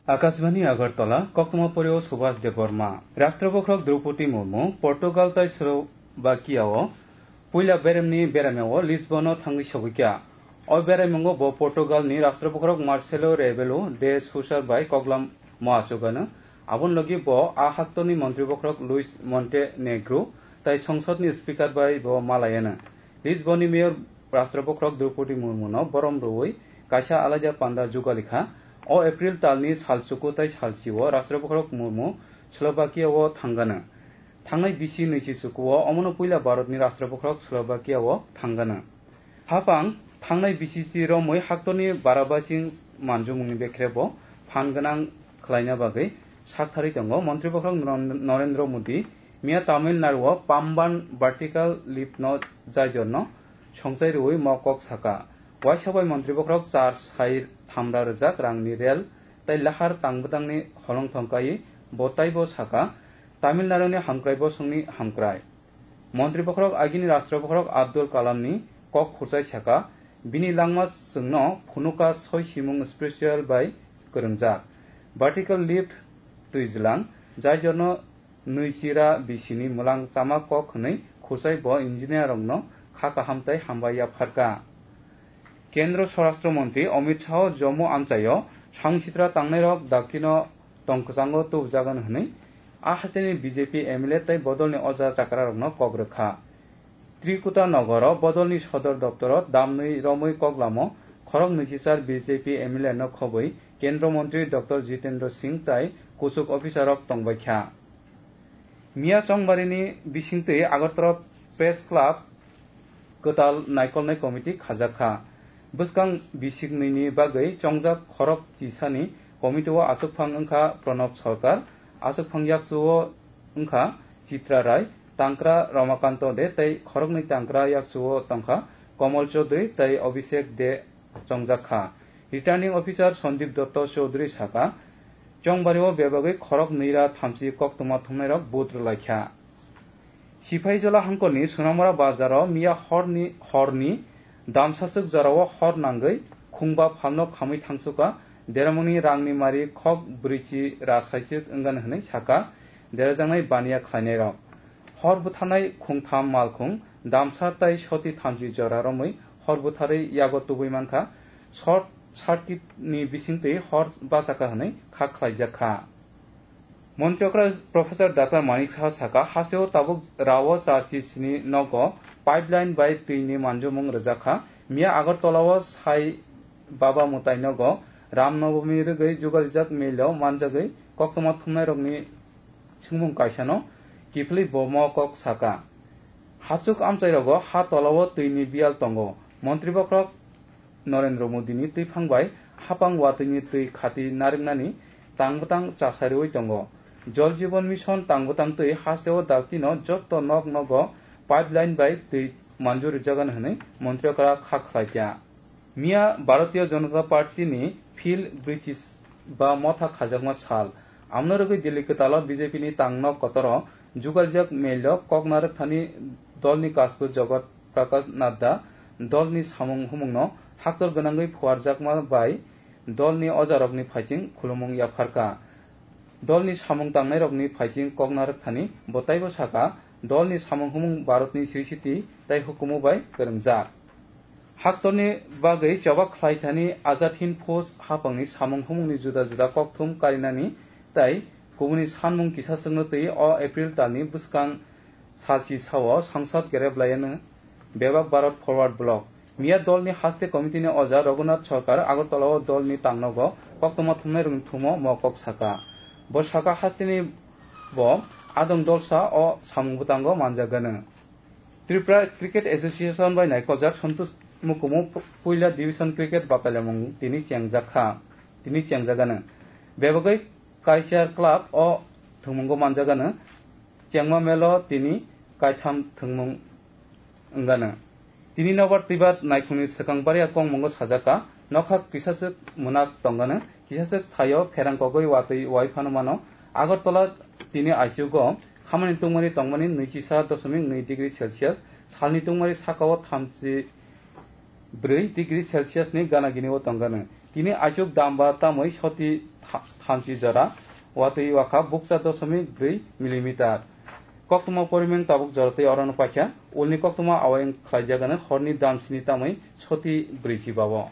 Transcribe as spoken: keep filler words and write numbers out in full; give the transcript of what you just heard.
Akashbani Agartala, Koktwma Porio Subhas Debbarma. Rashtra Bokhorok Draupadi Murmu Portugal tai Slovakia o puila beremni beramyao Lisbon o thangwi sogwikha. O beraimungo bo Portugal ni Rashtra Bokhorok Marcelo Rebelo de Sousa bai koklamo achugano. Aboni logi bo a haktorni Montri Bokhorok Luis Montenegro tai Songsod ni Speaker bai bo malayano. Lisbon ni Mayor Rashtra Bokhorok Draupadi Murmu no borom rwui kaisa alaida panda jugalikha. O April talni salchuku tai salchio Rashtra Bokhorok Murmu Slovakia o thangano. Thangnai bisi nwichi chukuo omono puila Bharatni Rashtra Bokhorok Slovakia o thangano. Hapang thangnai bisi si romwi haktorni barabasing manjumungni bekhre bo phan gwnang khlaina bagwi saktharwi tongo. Montri Bokhorok Noren-, Narendra Modi miya Tamil Nadu o Pamban vertical lift no jaijor no songchai rwui mo kok saka. Waisa bai Montri Bokhorok char sai thamra rwjak rangni rel tai lahar tangbwtangni holong thongkai bo taibo saka, Tamil Nadu ni hamkrai bosongni hamkrai. Montri Bokhorok agini Rashtra Bokhorok Abdul Kalam ni kok khurchai saka, bini langma chwngno phunuka soi simung special bai kwrwngjak. Vertical lift twijlang, jai jorno nwi chira bisini mwlang chama kok hwnwi khurchai bo engineer rokno kha kaham tai hambai yapharkha. Kendra Swarashtra Montri Amit Shah Jammu amchaio song sitra tangnairok dakino tongkwchango tubujagan hwnwi a hasteni B J P M L A tei bodolni oja chakrarokno kok rwkha. Trikuta nogoro bodolni sodor doptoro damnwi romwi koklamo khorok nwichichar B J P M L A no khobwi Kendra Montri Doctor Jitendra Singh tai kuchuk officer rok tongbaikha. Miya chongbarini bisingtwi Agartala Press Club kwtal naikolnai committee khajakha. Bwskang bisiknwini bagwi chongjak khorok chisani committee o achukphang wngkha Pranab Sarkar, achukphang yakchu o wngkha Chitra Rai, tangkra Ramakanto De tei khoroknwi tangkra yakchu o tongkha Komol Chaudhary tei Abhishek De chongjakha. Returning Officer Sandeep Dutta Chaudhary saka, chongbario bebagwi khorok nwi ra thamchi koktwma thumnairok vote rwlaikha. Sipaijola hangkorni Sunamura bazaro miya horni, horni damsaswk jorao hor nangwi khungba phalno khamwi thangsuka, deramungni rangni mari khok brwichi ra saichwk wngani hwnwi saka, derajaknai baniya khlainairok. Hor butharnai khungtham malkhung, damsa tai soti thamchi jora romwi hor butharwi yago tubui mankha. Short circuit ni bisingtwi hor bachakha hwnwi kha khlaijakha. Montri okra Professor Doctor Manik Saha saka, hasteo tabuk rao charchi sini nogo pipeline bai twi ni manjomung rwjakha. Miya Agartala o Sai Baba Mutai nogo Ram Navami rwgwi jugalijak melo manjagwi koktwma thumnairokni swngmung kaisano kiphilwi bo mo kok saka. Hachuk amchairogo ha tolao twini biyal tongo. Montri bokhorok Narendra Modini twiphang bai hapang watwini twi khati narwknani tangbwtang chasariwi tongo. Jal Jeevan Mission tangbwtang twi hasteo dakti no jotto nok nogo pipeline bai twi manjur rijagani hwnwi montri okra kha khlaikha. Miya Bharatiya Janata Party ni field brwichi ba motha khajakma sal. Amno rwgwi Delhi kwtalo B J P ni tangno kotoro jugaljak mail o kok narwkthani dolni kasku Jagat Prakash Nadda dolni samung humungno haktor gwnangwi phuarjakma bai dolni ojarokni phaising khulumung yapharkha. Dolni samung tangnairokni phaising kok narwkthani bo taibo saka, dolni samung humung Bharatni srisiti tei hukumu bai kwrwngjak. Haktorni bagwi choba khlaithani Azad Hind Fauj hapangni samung humungni juda juda kokthum karinani tei kubuni sanmung kisa chwngno twi o April talni bwskang salchi sao Sangsad gerep laiano bebak Bharat Forward Bloc. Miya dolni haste committee ni oja Raghunath Sarkar Agartala o dolni tangnogo koktwma thumnairokni thumo mo kok saka. Bo saka hasteni bo adong dolsa o samung bwtango manjagano. Tripura Cricket Association bai naikoljak Santosh Mukumu puila division cricket batalyamung tini chengjak kha, tini chengjagano. Bebagwi Kaisiar club o thwngmungo manjagano, chengma melo tini kaitham thwngmung wngano. Tini nobar twibar naikhungni swkang baria kongmungo sajak kha, nokha kisaswk mwnak tongano, kisaswk thaio pherang kogwi watwi wai phano mano. Agartala tini aichugo Khamani tungmani tongmani nwichisa dosomik nwi degree Celsius, salni tungmani sakao thamchi bwrwi degree Celsius ni gana gini o tongkha nw. Tini aichuk damba tamwi soti tha-, thamchi jora, watwi wakha bukcha dosomik bwrwi millimeter. Koktwma porimeng tabuk jora tei orono paikha, ulni koktwma awayang khlaijak ano horni damsini tamwi soti bwrwi si bao.